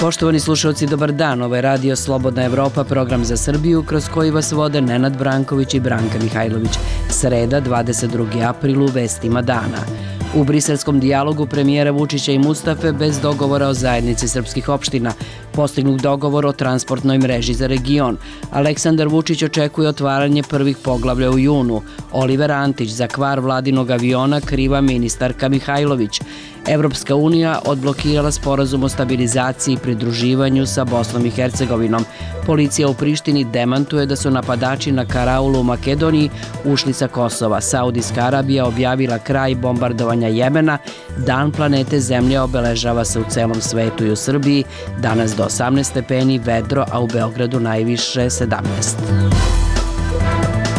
Poštovani slušalci, dobar dan. Ovo je Radio Slobodna Evropa, program za Srbiju, kroz koji vas vode Nenad Branković i Branka Mihajlović. Sreda, 22. april, u vestima dana. U briselskom dijalogu premijera Vučića i Mustafe bez dogovora o zajednici srpskih opština. Postignut dogovor o transportnoj mreži za region. Aleksandar Vučić očekuje otvaranje prvih poglavlja u junu. Oliver Antić za kvar vladinog aviona kriva ministarka Mihajlović. Evropska unija odblokirala sporazum o stabilizaciji i pridruživanju sa Bosnom i Hercegovinom. Policija u Prištini demantuje da su napadači na Karaulu u Makedoniji ušli sa Kosova. Saudijska Arabija objavila kraj bombardovanja Jemena. Dan planete Zemlje obeležava se u celom svetu i u Srbiji. Danas do 18 stepeni, vedro, a u Beogradu najviše 17.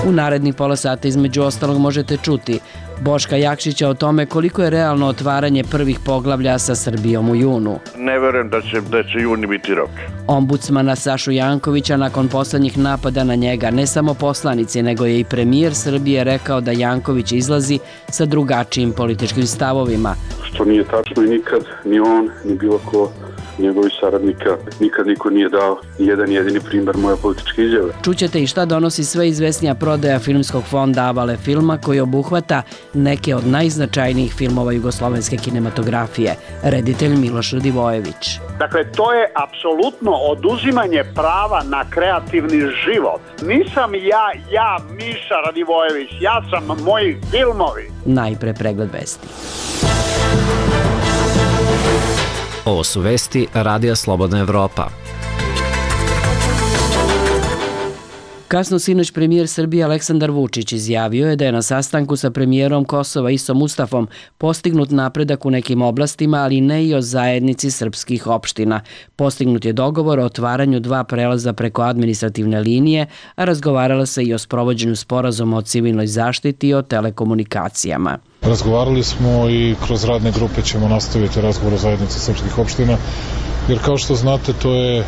U narednih pola sata između ostalog možete čuti Boška Jakšića o tome koliko je realno otvaranje prvih poglavlja sa Srbijom u junu. Ne verujem da će juni biti rok. Ombudsmana Sašu Jankovića nakon poslednjih napada na njega, ne samo poslanici, nego je i premijer Srbije rekao da Janković izlazi sa drugačijim političkim stavovima. Što nije tačno i nikad ni on, ni bilo ko njegovih saradnika, nikad niko nije dao jedan jedini primer moje političke izjave. Čućete i šta donosi sve izvesnija prodaja filmskog fonda Avale filma koji obuhvata neke od najznačajnijih filmova jugoslovenske kinematografije. Reditelj Miloš Radivojević. Dakle, to je apsolutno oduzimanje prava na kreativni život. Nisam ja Miša Radivojević, ja sam moji filmovi. Najpre pregled vesti. Ovo su vesti Radija Slobodna Evropa. Kasno sinoć premijer Srbije Aleksandar Vučić izjavio je da je na sastanku sa premijerom Kosova Isom Mustafom postignut napredak u nekim oblastima, ali ne i o zajednici srpskih opština. Postignut je dogovor o otvaranju 2 prelaza preko administrativne linije, a razgovarala se i o sprovođenju sporazuma o civilnoj zaštiti i o telekomunikacijama. Razgovarali smo i kroz radne grupe ćemo nastaviti razgovor o zajednici srpskih opština, jer kao što znate to je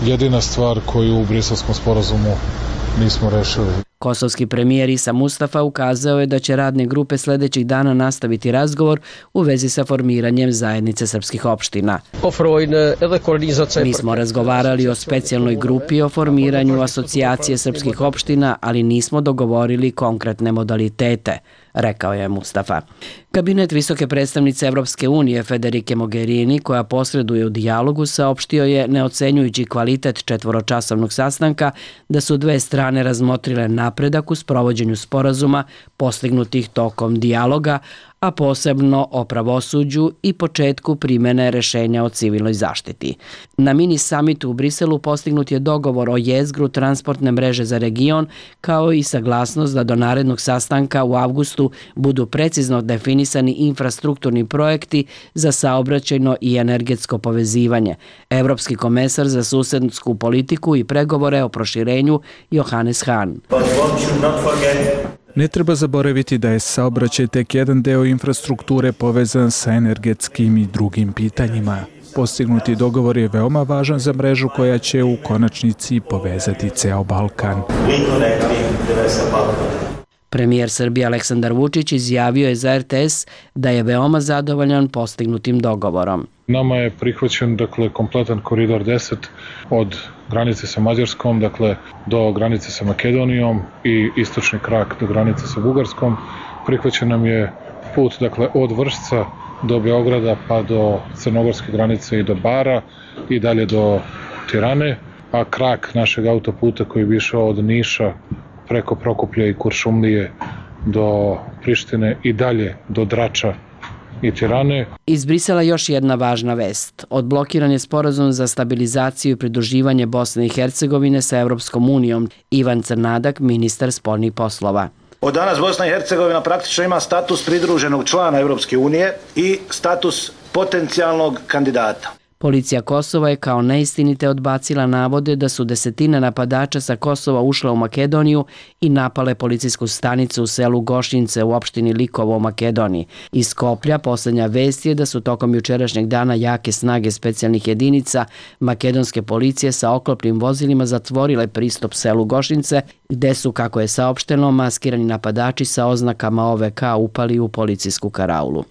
jedina stvar koju u Briselskom sporazumu nismo rešili. Kosovski premijer Isa Mustafa ukazao je da će radne grupe sledećih dana nastaviti razgovor u vezi sa formiranjem zajednice srpskih opština. Mi smo razgovarali o specijalnoj grupi o formiranju asocijacije srpskih opština, ali nismo dogovorili konkretne modalitete, rekao je Mustafa. Kabinet visoke predstavnice Evropske unije Federike Mogherini, koja posreduje u dijalogu, saopštio je, ne ocenjujući kvalitet 4-časovnog sastanka, da su dve strane razmotrile napredak u sprovođenju sporazuma postignutih tokom dijaloga, a posebno o pravosuđu i početku primene rešenja o civilnoj zaštiti. Na mini samitu u Briselu postignut je dogovor o jezgru transportne mreže za region, kao i saglasnost da do narednog sastanka u avgustu budu precizno definisani infrastrukturni projekti za saobraćajno i energetsko povezivanje. Evropski komesar za susedsku politiku i pregovore o proširenju Johannes Hahn. Ne treba zaboraviti da je saobraćaj tek jedan deo infrastrukture povezan sa energetskim i drugim pitanjima. Postignuti dogovor je veoma važan za mrežu koja će u konačnici povezati ceo Balkan. Premijer Srbije Aleksandar Vučić izjavio je za RTS da je veoma zadovoljan postignutim dogovorom. Nama je prihvaćen kompletan koridor 10 od granice sa Mađarskom, do granice sa Makedonijom i istočni krak do granice sa Bugarskom. Prihvaćen nam je put od Vršca do Beograda pa do crnogorske granice i do Bara i dalje do Tirane, a krak našeg autoputa koji bi išao od Niša preko Prokuplja i Kuršumlije do Prištine i dalje do Drača i Tirane. Iz Brisela još jedna važna vest. Odblokiran je sporazum za stabilizaciju i pridruživanje Bosne i Hercegovine sa Evropskom unijom. Ivan Crnadak, ministar spoljnih poslova. Od danas Bosna i Hercegovina praktično ima status pridruženog člana Evropske unije i status potencijalnog kandidata. Policija Kosova je kao neistinite odbacila navode da su desetine napadača sa Kosova ušle u Makedoniju i napale policijsku stanicu u selu Gošnjince u opštini Likovo u Makedoniji. Iz Skoplja posljednja vest je da su tokom jučerašnjeg dana jake snage specijalnih jedinica makedonske policije sa oklopnim vozilima zatvorile pristup selu Gošnjince, gde su, kako je saopšteno, maskirani napadači sa oznakama OVK upali u policijsku karaulu.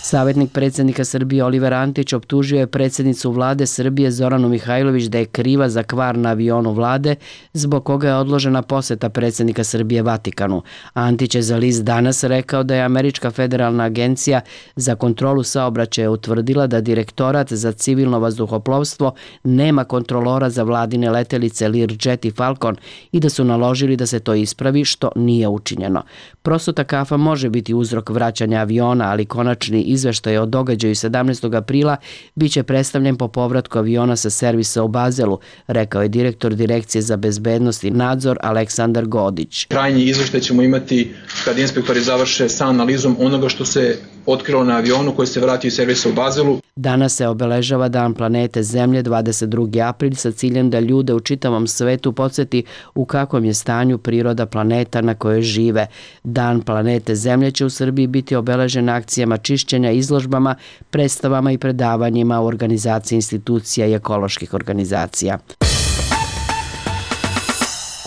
Savjetnik predsjednika Srbije Oliver Antić optužio je predsjednicu vlade Srbije Zoranu Mihajlović da je kriva za kvar na avionu vlade, zbog koga je odložena posjeta predsjednika Srbije Vatikanu. Antić je za list Danas rekao da je Američka federalna agencija za kontrolu saobraćaja utvrdila da Direktorat za civilno vazduhoplovstvo nema kontrolora za vladine letelice Learjet i Falcon i da su naložili da se to ispravi, što nije učinjeno. Prosuta kafa može biti uzrok vraćanja aviona, ali konačni izveštaj o događaju 17. aprila biće predstavljen po povratku aviona sa servisa u Bazelu, rekao je direktor Direkcije za bezbednost i nadzor Aleksandar Godić. Krajnji izveštaj ćemo imati kad inspektori završe sa analizom onoga što se otkrilo na avionu koji se vratio iz servisa u Bazelu. Danas se obeležava Dan planete Zemlje 22. april sa ciljem da ljude u čitavom svetu podsjeti u kakvom je stanju priroda planeta na kojoj žive. Dan planete Zemlje će u Srbiji biti obeležen akcijama čišćenja, izložbama, predstavama i predavanjima u organizaciji institucija i ekoloških organizacija.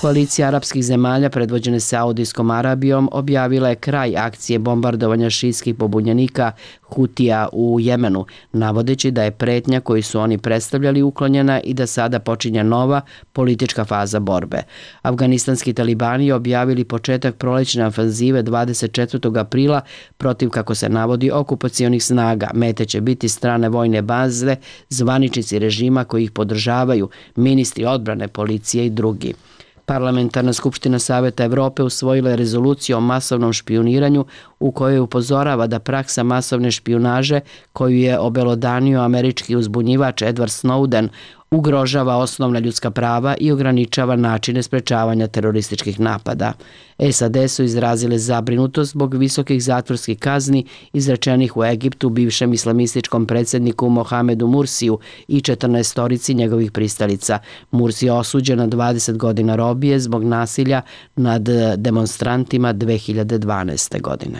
Koalicija arapskih zemalja predvođene Saudijskom Arabijom objavila je kraj akcije bombardovanja šijskih pobunjenika Hutija u Jemenu, navodeći da je pretnja koju su oni predstavljali uklonjena i da sada počinje nova politička faza borbe. Afganistanski talibani objavili početak prolećne ofanzive 24. aprila protiv, kako se navodi, okupacionih snaga. Mete će biti strane vojne baze, zvaničnici režima koji ih podržavaju, ministri odbrane, policije i drugi. Parlamentarna skupština Saveta Evrope usvojila je rezoluciju o masovnom špijuniranju u kojoj upozorava da praksa masovne špijunaže koju je obelodanio američki uzbunjivač Edward Snowden ugrožava osnovna ljudska prava i ograničava načine sprečavanja terorističkih napada. SAD su izrazile zabrinutost zbog visokih zatvorskih kazni izrečenih u Egiptu bivšem islamističkom predsjedniku Mohamedu Mursiju i 14 njegovih pristalica. Mursi je osuđen na 20 godina robije zbog nasilja nad demonstrantima 2012. godine.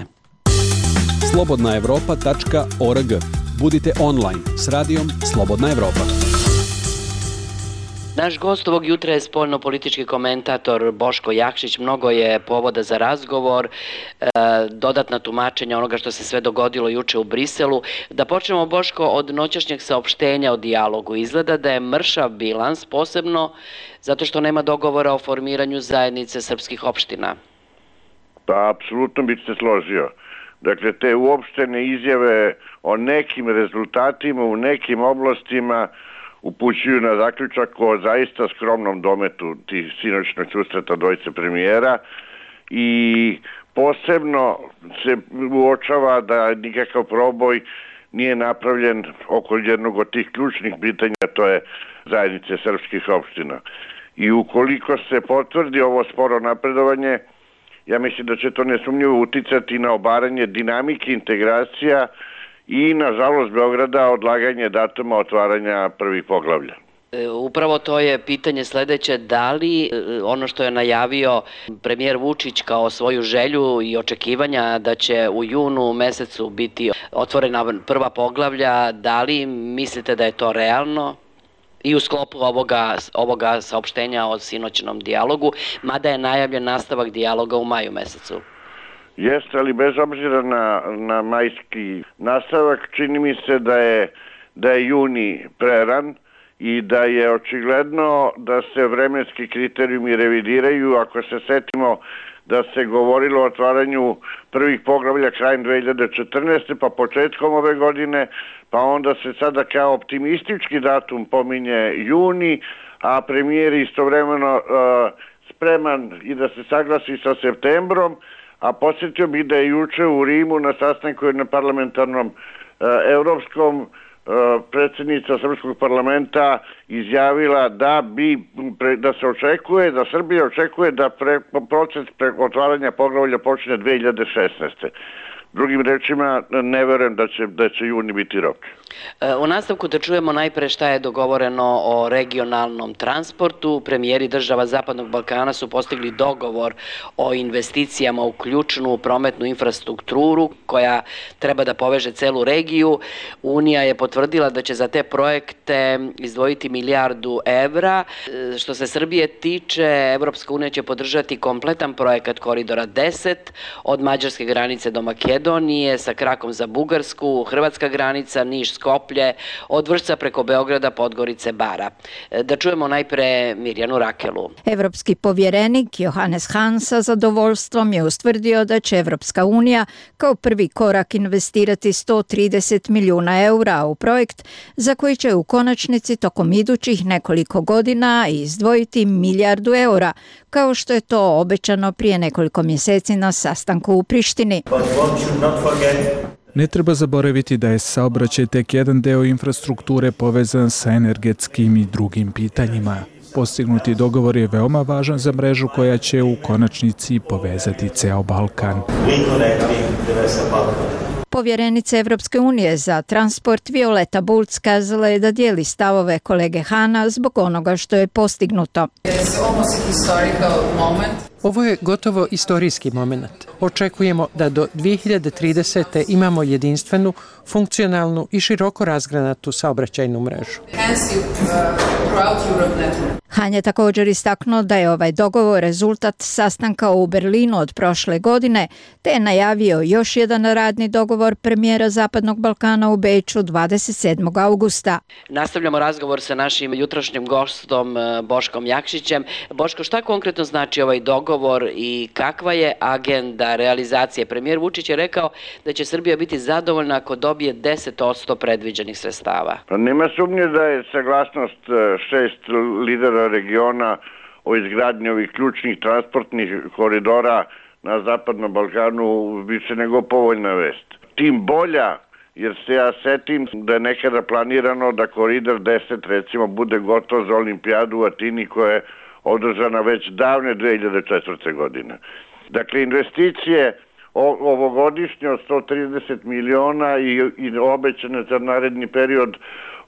slobodnaevropa.org. Budite online s radijom Slobodna Evropa. Naš gost ovog jutra je spoljno-politički komentator Boško Jakšić. Mnogo je povoda za razgovor, dodatna tumačenja onoga što se sve dogodilo juče u Briselu. Da počnemo, Boško, od noćašnjeg saopštenja o dijalogu. Izgleda da je mršav bilans, posebno zato što nema dogovora o formiranju zajednice srpskih opština. Pa, apsolutno bih se složio. Dakle, te uopštene izjave o nekim rezultatima u nekim oblastima upućuju na zaključak o zaista skromnom dometu tih sinoćnog susreta dvojice premijera i posebno se uočava da nikakav proboj nije napravljen oko jednog od tih ključnih pitanja, to je zajednice srpskih opština. I ukoliko se potvrdi ovo sporo napredovanje, ja mislim da će to nesumnjivo uticati na obaranje dinamike integracija i, nažalost, Beograda odlaganje datuma otvaranja prvih poglavlja. Upravo to je pitanje sledeće, da li ono što je najavio premijer Vučić kao svoju želju i očekivanja da će u junu mesecu biti otvorena prva poglavlja, da li mislite da je to realno? I u sklopu ovoga saopštenja o sinoćnom dijalogu, mada je najavljen nastavak dijaloga u maju mesecu. Jeste, ali bez obzira na majski nastavak, čini mi se da je juni preran i da je očigledno da se vremenski kriterijumi revidiraju. Ako se setimo da se govorilo o otvaranju prvih poglavlja krajem 2014. pa početkom ove godine, pa onda se sada kao optimistički datum pominje juni, a premijer istovremeno spreman i da se saglasi sa septembrom, a podsjetio bih da je juče u Rimu na sastanku na parlamentarnom evropskom predsjednica Srpskog parlamenta izjavila da se očekuje, da Srbija očekuje da proces otvaranja poglavlja počne 2016. Drugim rečima, ne verujem da će juni biti rok. U nastavku da čujemo najpre šta je dogovoreno o regionalnom transportu. Premijeri država Zapadnog Balkana su postigli dogovor o investicijama u ključnu prometnu infrastrukturu koja treba da poveže celu regiju. Unija je potvrdila da će za te projekte izdvojiti milijardu evra. Što se Srbije tiče, Evropska unija će podržati kompletan projekat Koridora 10 od mađarske granice do Makedonije sa krakom za Bugarsku, hrvatska granica, Niš, Skoplje, od Vršca preko Beograda, Podgorice, Bara. Da čujemo najpre Mirjanu Rakelu. Evropski povjerenik Johannes Hahn sa zadovoljstvom je ustvrdio da će Evropska unija kao prvi korak investirati 130 milijuna eura u projekt za koji će u konačnici tokom idućih nekoliko godina izdvojiti milijardu eura, kao što je to obećano prije nekoliko mjeseci na sastanku u Prištini. Ne treba zaboraviti da je saobraćaj tek jedan deo infrastrukture povezan sa energetskim i drugim pitanjima. Postignuti dogovor je veoma važan za mrežu koja će u konačnici povezati ceo Balkan. Povjerenica Evropske unije za transport Violeta Bulc kazala je da dijeli stavove kolege Hana zbog onoga što je postignuto. Ovo je gotovo istorijski moment. Očekujemo da do 2030. imamo jedinstvenu, funkcionalnu i široko razgranatu saobraćajnu mrežu. Han je također istaknuo da je ovaj dogovor rezultat sastanka u Berlinu od prošle godine, te je najavio još jedan radni dogovor premijera Zapadnog Balkana u Beču 27. augusta. Nastavljamo razgovor sa našim jutrošnjim gostom Boškom Jakšićem. Boško, šta konkretno znači ovaj dogovor i kakva je agenda realizacije? Premijer Vučić je rekao da će Srbija biti zadovoljna ako dobije 10% predviđenih sredstava. Nema sumnje da je saglasnost 6 lidera regiona o izgradnji ovih ključnih transportnih koridora na Zapadnom Balkanu više nego povoljna vest. Tim bolja, jer se ja setim da je nekada planirano da koridor 10 recimo bude gotov za olimpijadu u Atini koja je održana već davne 2004. godine. Dakle, investicije ovogodišnje od 130 miliona i obećane za naredni period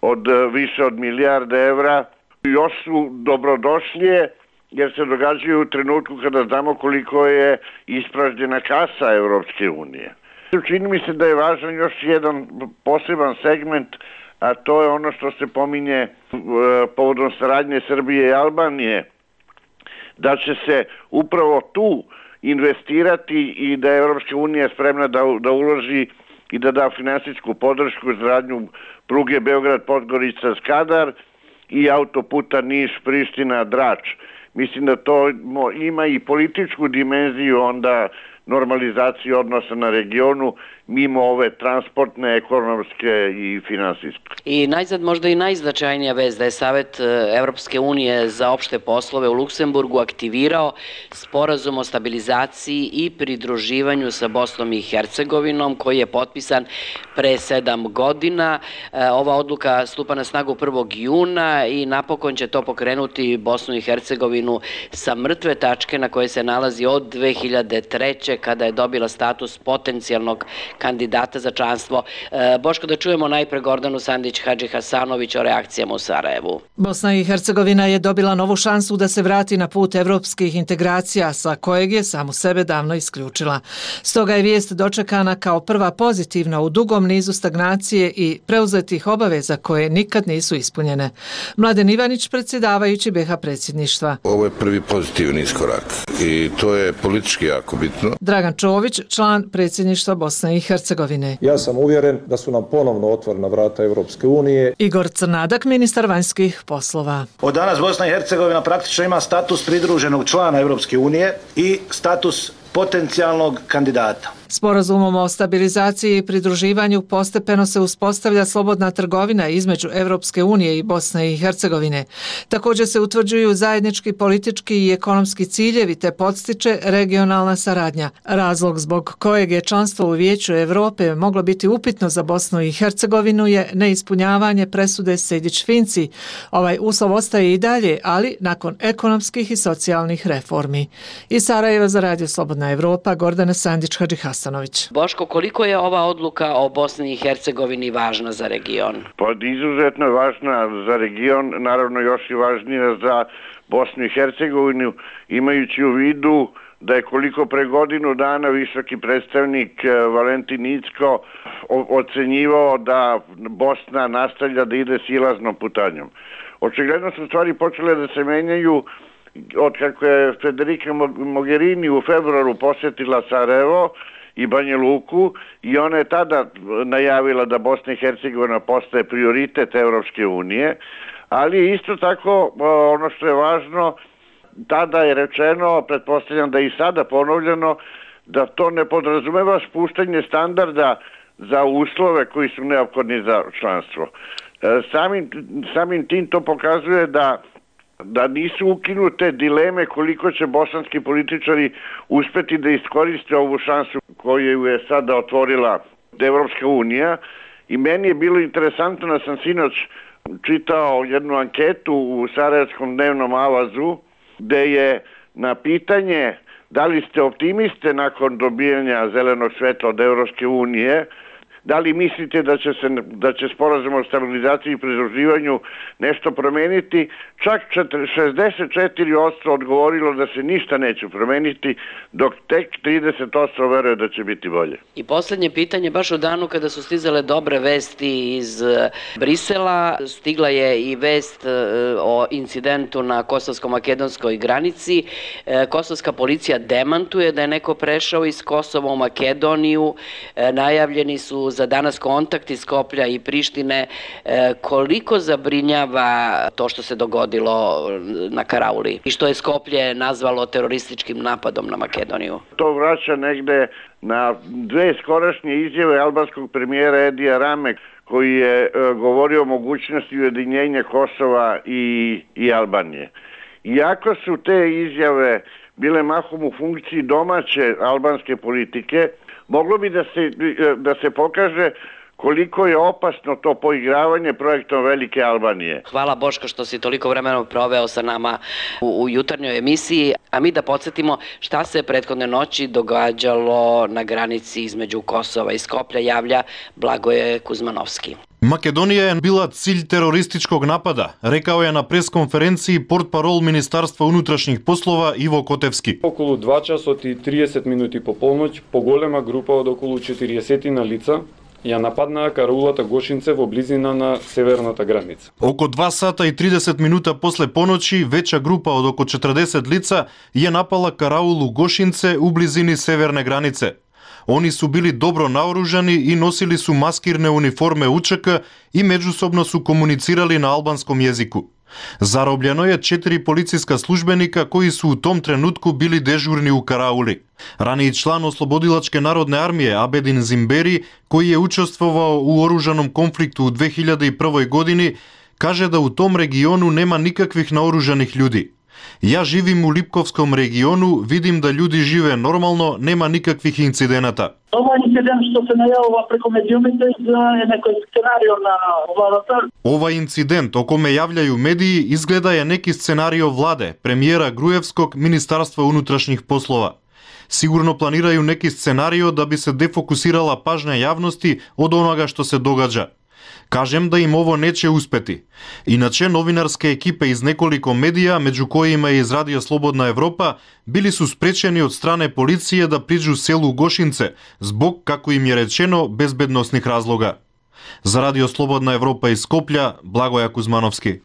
od više od milijarde evra još su dobrodošlije jer se događaju u trenutku kada znamo koliko je ispražnjena kasa Evropske unije. Čini mi se da je važan još jedan poseban segment, a to je ono što se pominje povodom saradnje Srbije i Albanije, da će se upravo tu investirati i da je Evropska unija spremna da uloži i da da finansijsku podršku za radnju pruge Beograd-Podgorica-Skadar i autoputa Niš-Priština-Drač. Mislim da to ima i političku dimenziju onda normalizaciju odnosa na regionu mimo ove transportne, ekonomske i finansijske. I najzad možda i najznačajnija vest da je Savet Evropske unije za opšte poslove u Luksemburgu aktivirao sporazum o stabilizaciji i pridruživanju sa Bosnom i Hercegovinom koji je potpisan pre 7 godina. Ova odluka stupa na snagu 1. juna i napokon će to pokrenuti Bosnu i Hercegovinu sa mrtve tačke na koje se nalazi od 2003. kada je dobila status potencijalnog kandidata za članstvo. Boško, da čujemo najpre Gordanu Sandić-Hadži-Hasanović o reakcijama u Sarajevu. Bosna i Hercegovina je dobila novu šansu da se vrati na put evropskih integracija sa kojeg je samu sebe davno isključila. Stoga je vijest dočekana kao prva pozitivna u dugom nizu stagnacije i preuzetih obaveza koje nikad nisu ispunjene. Mladen Ivanić, predsjedavajući BiH predsjedništva. Ovo je prvi pozitivni iskorak i to je politički jako bitno. Dragan Čović, član predsjedništva Bosne i Hercegovine. Ja sam uvjeren da su nam ponovno otvorena vrata Evropske unije. Igor Crnadak, ministar vanjskih poslova. Od danas Bosna i Hercegovina praktično ima status pridruženog člana Evropske unije i status potencijalnog kandidata. Sporazumom o stabilizaciji i pridruživanju postepeno se uspostavlja slobodna trgovina između Evropske unije i Bosne i Hercegovine. Također se utvrđuju zajednički politički i ekonomski ciljevi te podstiče regionalna saradnja. Razlog zbog kojeg je članstvo u Vijeću Europe moglo biti upitno za Bosnu i Hercegovinu je neispunjavanje presude Sejdić-Finci. Ovaj uslov ostaje i dalje, ali nakon ekonomskih i socijalnih reformi. Iz Sarajeva za Radio Slobodna Evropa, Gordana Sandić-Hadžihasan. Mastanović. Boško, koliko je ova odluka o Bosni i Hercegovini važna za region? Pa izuzetno je važna za region, naravno još i važnija za Bosnu i Hercegovinu, imajući u vidu da je koliko pre godinu dana visoki predstavnik Valentin Incko ocenjivao da Bosna nastavlja da ide silaznom putanjom. Očigledno su stvari počele da se menjaju od kako je Federica Mogherini u februaru posjetila Sarajevo i Banja Luku i ona je tada najavila da Bosna i Hercegovina postaje prioritet Evropske unije, ali isto tako ono što je važno, tada je rečeno, pretpostavljam da je i sada ponovljeno, da to ne podrazumeva spuštanje standarda za uslove koji su neophodni za članstvo. Samim tim to pokazuje da nisu ukinute dileme koliko će bosanski političari uspeti da iskoriste ovu šansu koju je sada otvorila Evropska unija. I meni je bilo interesantno da sam sinoć čitao jednu anketu u Sarajevskom dnevnom avazu gde je na pitanje da li ste optimiste nakon dobijanja zelenog svetla od Evropske unije, da li mislite da će sporazum o stabilizaciji i pridruživanju nešto promeniti, čak 64% odgovorilo da se ništa neće promeniti, dok tek 30% veruje da će biti bolje. I posljednje pitanje, baš u danu kada su stizale dobre vesti iz Brisela, stigla je i vest o incidentu na kosovsko-makedonskoj granici. Kosovska policija demantuje da je neko prešao iz Kosova u Makedoniju, najavljeni su za danas kontakt iz Skoplja i Prištine. Koliko zabrinjava to što se dogodilo na Karauli i što je Skoplje nazvalo terorističkim napadom na Makedoniju? To vraća negde na dve skorašnje izjave albanskog premijera Edija Rame, koji je govorio o mogućnosti ujedinjenja Kosova i Albanije. Iako su te izjave bile mahom u funkciji domaće albanske politike, moglo bi da se pokaže koliko je opasno to poigravanje projektom Velike Albanije. Hvala Boško što si toliko vremena proveo sa nama u jutarnjoj emisiji, a mi da podsjetimo šta se prethodne noći događalo na granici između Kosova i Skoplja, javlja Blagoje Kuzmanovski. Македонија е била cilj терористичког напада, рекао е на пресконференцiji портпарол Министарства унутрашних послова Иво Котевски. Околу 2 часот и 30 минути по полноќ, поголема група од околу 40 на лица ја нападнаа караулата Гошинце во близина на северната граница. Око 2 сата и 30 минута после поноќи, веча група од око 40 лица ја напала караулу Гошинце у близини северне границе. Они су били добро наоружани и носили су маскирне униформе УЧК и меѓусобно су комуницирали на албанском језику. Заробljeno je 4 полициска службеника кои су у том тренутку били дежурни у караули. Ранiji члан Ослободилачке народне армије Абедин Зимбери, кој е учествувал у оружаном конфликту у 2001 години, каже да у том региону нема никаквих наоружаних људи. Ја живим у Липковском региону, видим да људи живе нормално, нема никаквих инцидената. Ова инцидент што се најавува преку медиумите е некој сценарио на владата. Ова инцидент, о коме јављају медии, изгледа е неки сценарио владе, премиера Груевскog, Министарство унутрашних послова. Сигурно планирају неки сценарио да би се дефокусирала пажња јавности од онога што се догаѓа. Кажем да им ово нече успети. Иначе новинарска екипа из неколико медија, меѓу кои и из Радио Слободна Европа, били су спречени од стране полиција да приđu селу Гошинце, због, како им е речено, безбедносних разлога. За Радио Слободна Европа из Скопља, Благоја Кузмановски.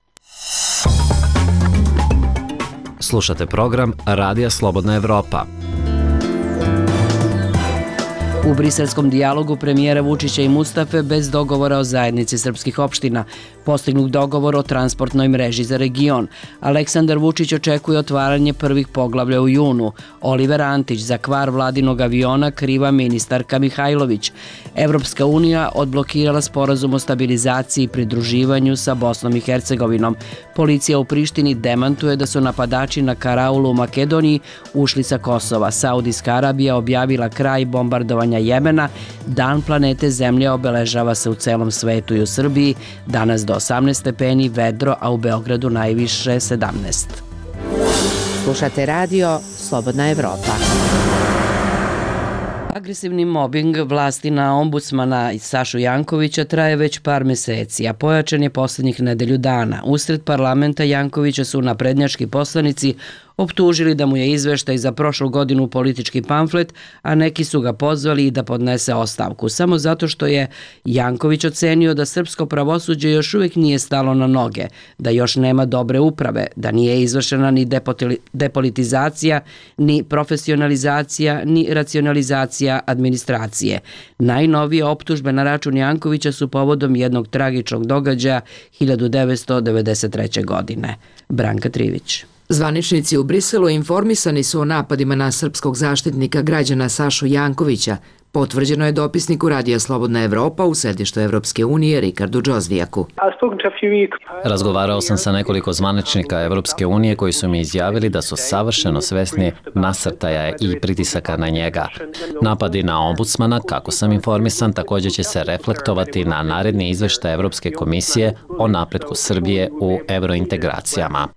Слушате програм Радија Слободна Европа. U briselskom dijalogu premijera Vučića i Mustafe bez dogovora o zajednici srpskih opština, postignut dogovor o transportnoj mreži za region. Aleksandar Vučić očekuje otvaranje prvih poglavlja u junu. Oliver Antić za kvar vladinog aviona kriva ministarka Mihajlović. Evropska unija odblokirala sporazum o stabilizaciji i pridruživanju sa Bosnom i Hercegovinom. Policija u Prištini demantuje da su napadači na karaulu u Makedoniji ušli sa Kosova. Saudijska Arabija objavila kraj bombardovanja Jemena. Dan planete Zemlje obeležava se u celom svetu i u Srbiji. Danas do 18 stepeni, vedro, a u Beogradu najviše 17. Slušate radio Slobodna Evropa. Agresivni mobing vlasti na ombudsmana Sašu Jankovića traje već par meseci, a pojačan je posljednjih nedelju dana. Usred parlamenta Jankovića su naprednjački poslanici optužili da mu je izveštaj za prošlu godinu politički pamflet, a neki su ga pozvali i da podnese ostavku, samo zato što je Janković ocenio da srpsko pravosuđe još uvijek nije stalo na noge, da još nema dobre uprave, da nije izvršena ni depolitizacija, ni profesionalizacija, ni racionalizacija administracije. Najnovije optužbe na račun Jankovića su povodom jednog tragičnog događaja 1993. godine. Branka Trivić. Zvaničnici u Briselu informisani su o napadima na srpskog zaštitnika građana Sašu Jankovića. Potvrđeno je dopisniku Radija Slobodna Evropa u sedištu Evropske unije Rikardu Džozvijaku. Razgovarao sam sa nekoliko zvaničnika Evropske unije koji su mi izjavili da su savršeno svesni nasrtaja i pritisaka na njega. Napadi na ombudsmana, kako sam informisan, također će se reflektovati na naredni izveštaj Evropske komisije o napretku Srbije u evrointegracijama.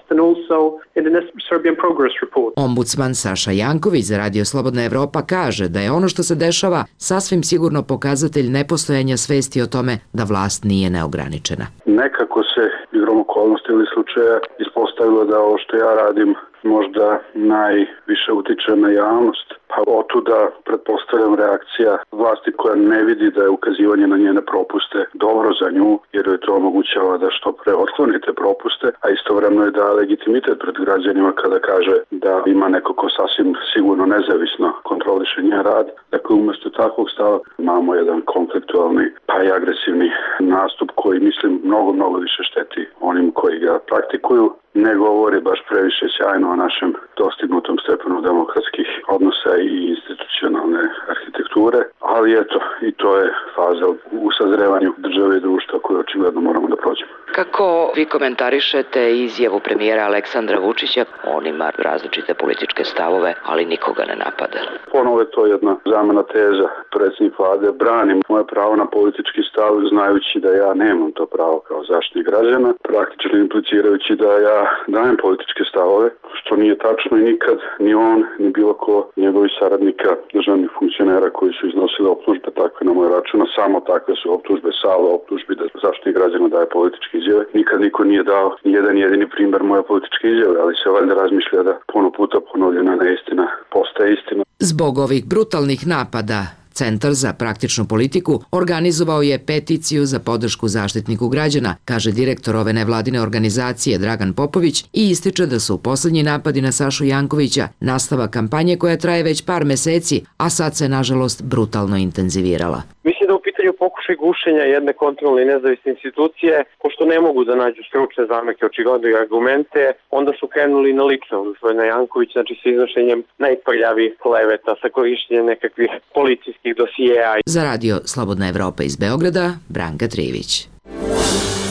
Ombudsman Saša Janković za Radio Slobodna Evropa kaže da je ono što se dešava sasvim sigurno pokazatelj nepostojanja svesti o tome da vlast nije neograničena. Nekako se igrom okolnosti ili slučaja ispostavilo da ovo što ja radim možda najviše utiče na javnost. Pa otuda pretpostavljam reakcija vlasti koja ne vidi da je ukazivanje na njene propuste dobro za nju, jer joj to omogućava da što pre otkloni te propuste, a istovremeno je da legitimitet pred građanima kada kaže da ima neko ko sasvim sigurno nezavisno kontroliše njen rad. Dakle, umjesto takvog stava imamo jedan konfliktualni pa i agresivni nastup koji, mislim, mnogo više šteti onim koji ga praktikuju. Ne govori baš previše sjajno o našem dostignutom stepenu demokratskih odnosa i institucionalne arhitekture, ali eto, i to je faza u sazrevanju države i društva koju očigledno moramo da prođemo. Kako vi komentarišete izjavu premijera Aleksandra Vučića? On ima različite političke stavove, ali nikoga ne napada. Ponovo je to jedna zamena teza. Predsjednik vlade brani moje pravo na politički stav, znajući da ja nemam to pravo kao zaštitnik građana, praktično implicirajući da ja dajem političke stavove, što nije tačno i nikad ni on, ni bilo ko njegovi saradnika, državnih funkcionera koji su iznosili optužbe takve na moj račun, samo takve su optužbe, salve optužbi da zaštitnik građana daje političke izjave. Nikad niko nije dao ni jedan jedini primjer moje političke izjave, ali se valjda razmišlja da puno puta ponovljena neistina postaje istina. Zbog ovih brutalnih napada, Centar za praktičnu politiku organizovao je peticiju za podršku zaštitniku građana, kaže direktor ove nevladine organizacije Dragan Popović i ističe da su posljednji napadi na Sašu Jankovića nastavak kampanje koja traje već par meseci, a sad se nažalost brutalno intenzivirala. Mislim da u pitanju pokušaj gušenja jedne kontrolne i nezavisne institucije, pošto ne mogu da nađu stručne zameke, očigledno i argumente, onda su krenuli na lično gospodina Jankovića, znači sa iznošenjem najprljavih kleveta, sa korištenjem nekakvih policijskih dosijeja. Za Radio Slobodna Evropa iz Beograda, Branka Trivić.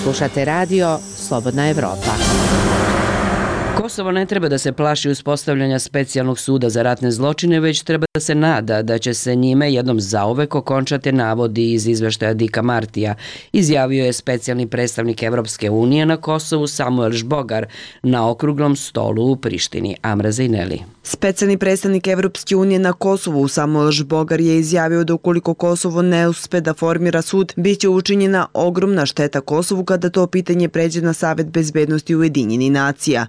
Slušate Radio Slobodna Evropa. Kosovo ne treba da se plaši uspostavljanja specijalnog suda za ratne zločine, već treba da se nada da će se njime jednom zauvek okončati navodi iz izveštaja Dika Martija, izjavio je specijalni predstavnik Evropske unije na Kosovu Samuel Žbogar na okruglom stolu u Prištini. Amra Zajneli. Specijalni predstavnik Evropske unije na Kosovu Samuel Žbogar je izjavio da ukoliko Kosovo ne uspe da formira sud, bit će učinjena ogromna šteta Kosovu kada to pitanje pređe na Savet bezbednosti Ujedinjenih nacija.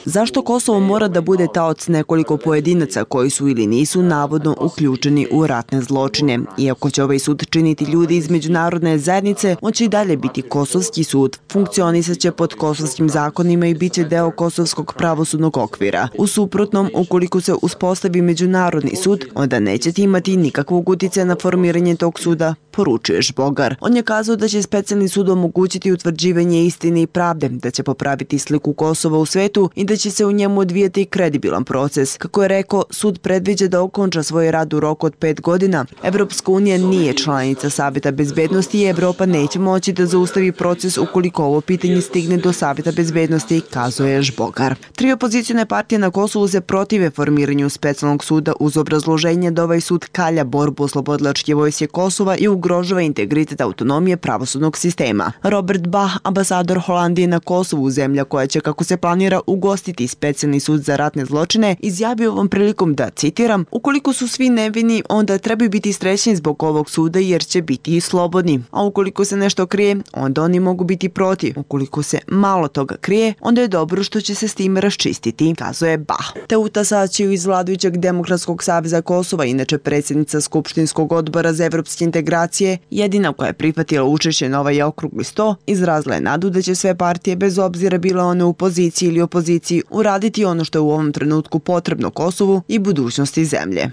Zašto Kosovo mora da bude taoc nekoliko pojedinaca koji su ili nisu navodno uključeni u ratne zločine? Iako će ovaj sud činiti ljudi iz međunarodne zajednice, on će i dalje biti kosovski sud. Funkcionisat će pod kosovskim zakonima i bit će deo kosovskog pravosudnog okvira. U suprotnom, ukoliko se uspostavi međunarodni sud, onda nećete imati nikakvog uticaja na formiranje tog suda, poručuje Žbogar. On je kazao da će specijalni sud omogućiti utvrđivanje istine i pravde, da će popraviti sliku Kosova u svetu i da će se u njemu odvijati kredibilan proces. Kako je rekao, sud predviđa da okonča svoj rad u roku od 5 godina. Evropska unija nije članica Saveta bezbednosti i Evropa neće moći da zaustavi proces ukoliko ovo pitanje stigne do Saveta bezbednosti, kazuje Žbogar. 3 opozicione partije na Kosovu se protive formiranju specijalnog suda uz obrazloženje da ovaj sud kalja borbu oslobodilačke vojske Kosova i ugrožava integritet autonomije pravosudnog sistema. Robert Bach, ambasador Holandije na Kosovu, zemlja koja će, kako se planira, ugostiti Specijalni sud za ratne zločine, izjavio ovom prilikom da, citiram, ukoliko su svi nevini, onda trebaju biti srećni zbog ovog suda jer će biti i slobodni. A ukoliko se nešto krije, onda oni mogu biti protiv. Ukoliko se malo toga krije, onda je dobro što će se s tim raščistiti, kazuje Bah. Teuta Saćiju iz vladajućeg Demokratskog saveza Kosova, inače predsjednica Skupštinskog odbora za evropske integracije, jedina koja je prihvatila učešće na ovaj okrugli sto, izrazila je nadu da će sve partije, bez obzira bile one u poziciji ili opoziciji, uraditi ono što je u ovom trenutku potrebno Kosovu i budućnosti zemlje.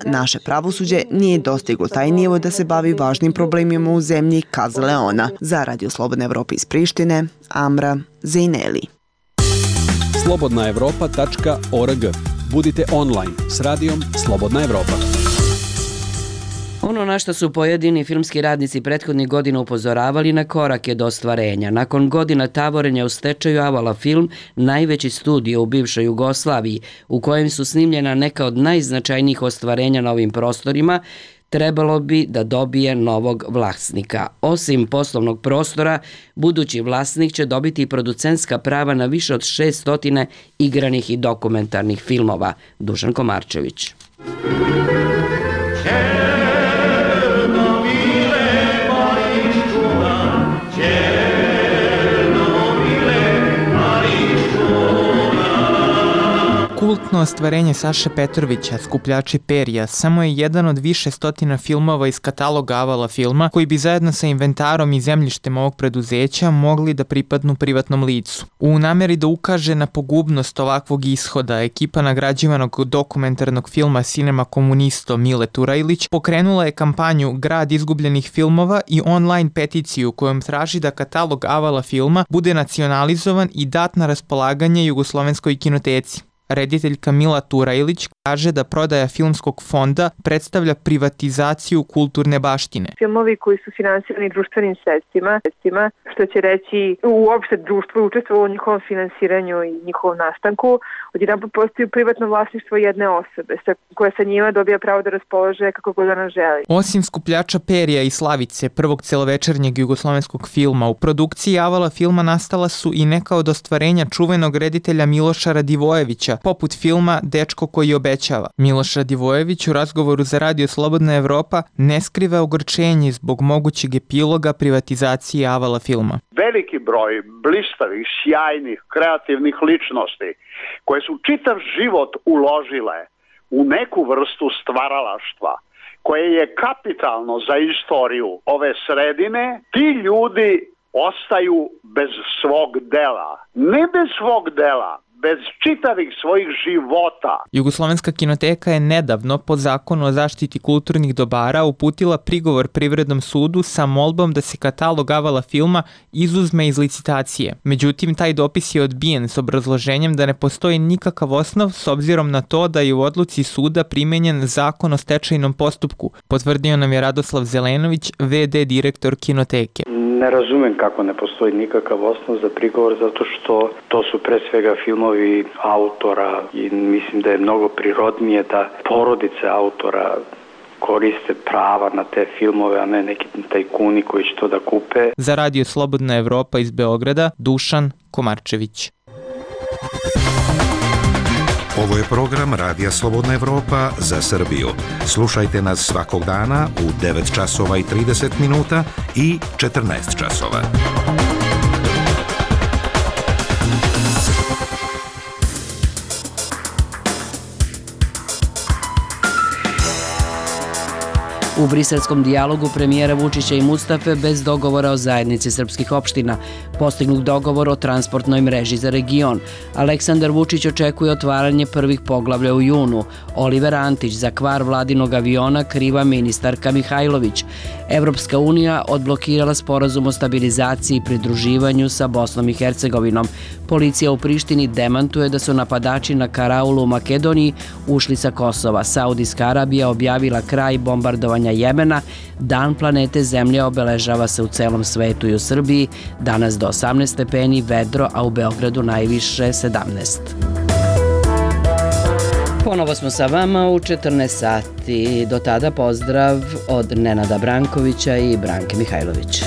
Naše pravosuđe nije dostiglo taj nivo da se bavi važnim problemima u zemlji, kazala je ona. Za Radio Slobodna Evropa iz Prištine, Amra Zejneli. slobodnaevropa.org. Budite online s radijom Slobodna Evropa. Ono na što su pojedini filmski radnici prethodnih godina upozoravali na korake do ostvarenja. Nakon godina tavorenja u stečaju, Avala film, najveći studio u bivšoj Jugoslaviji, u kojem su snimljena neka od najznačajnijih ostvarenja na ovim prostorima, trebalo bi da dobije novog vlasnika. Osim poslovnog prostora, budući vlasnik će dobiti i producentska prava na više od 600 igranih i dokumentarnih filmova. Dušan Komarčević. Kultno ostvarenje Saše Petrovića, Skupljači perja, samo je jedan od više stotina filmova iz kataloga Avala filma koji bi zajedno sa inventarom i zemljištem ovog preduzeća mogli da pripadnu privatnom licu. U nameri da ukaže na pogubnost ovakvog ishoda, ekipa nagrađivanog dokumentarnog filma Cinema Komunisto Mile Turajlić pokrenula je kampanju Grad izgubljenih filmova i online peticiju kojom traži da katalog Avala filma bude nacionalizovan i dat na raspolaganje Jugoslovenskoj kinoteci. Rediteljka Mila Turajlić kaže da prodaja filmskog fonda predstavlja privatizaciju kulturne baštine. Filmovi koji su finansirani društvenim sredstvima, što će reći uopšte društvo učestvovalo u njihovom finansiranju i njihovom nastanku, odjedanput postaju privatno vlasništvo jedne osobe, koja sa njima dobija pravo da raspolaže kako god ona želi. Osim Skupljača perja i Slavice, prvog celovečernjeg jugoslovenskog filma, u produkciji Avala filma nastala su i neka od ostvarenja čuvenog reditelja Miloša Radivojevića, poput filma Dečko koji obećava. Miloš Radivojević u razgovoru za Radio Slobodna Evropa ne skriva ogorčenje zbog mogućeg epiloga privatizacije Avala filma. Veliki broj blistavih, sjajnih, kreativnih ličnosti koje su čitav život uložile u neku vrstu stvaralaštva koje je kapitalno za istoriju ove sredine, ti ljudi ostaju bez svog dela. Ne bez svog dela, bez čitavih svojih života. Jugoslovenska kinoteka je nedavno po zakonu o zaštiti kulturnih dobara uputila prigovor Privrednom sudu sa molbom da se katalog Avala filma izuzme iz licitacije. Međutim, taj dopis je odbijen s obrazloženjem da ne postoji nikakav osnov s obzirom na to da je u odluci suda primenjen zakon o stečajnom postupku, potvrdio nam je Radoslav Zelenović, VD direktor kinoteke. Ne razumem kako ne postoji nikakav osnov za prigovor, zato što to su pre svega filmovi autora i mislim da je mnogo prirodnije da porodice autora koriste prava na te filmove, a ne neki tajkuni koji će to da kupe. Za Radio Slobodna Evropa iz Beograda, Dušan Komarčević. Ovo je program Radija Slobodna Evropa za Srbiju. Slušajte nas svakog dana u 9 časova i 30 minuta i 14 časova. U briselskom dijalogu premijera Vučića i Mustafe bez dogovora o zajednici srpskih opština, postignut dogovor o transportnoj mreži za region. Aleksandar Vučić očekuje otvaranje prvih poglavlja u junu. Oliver Antić za kvar vladinog aviona kriva ministarka Mihajlović. Evropska unija odblokirala sporazum o stabilizaciji i pridruživanju sa Bosnom i Hercegovinom. Policija u Prištini demantuje da su napadači na karaulu u Makedoniji ušli sa Kosova. Saudijska Arabija objavila kraj bombardovanja Jemena. Dan planete Zemlje obeležava se u celom svetu i u Srbiji. Danas do 18 stepeni, vedro, a u Beogradu najviše 17. Ponovo smo sa vama u 14 sati. Do tada pozdrav od Nenada Brankovića i Branke Mihajlović.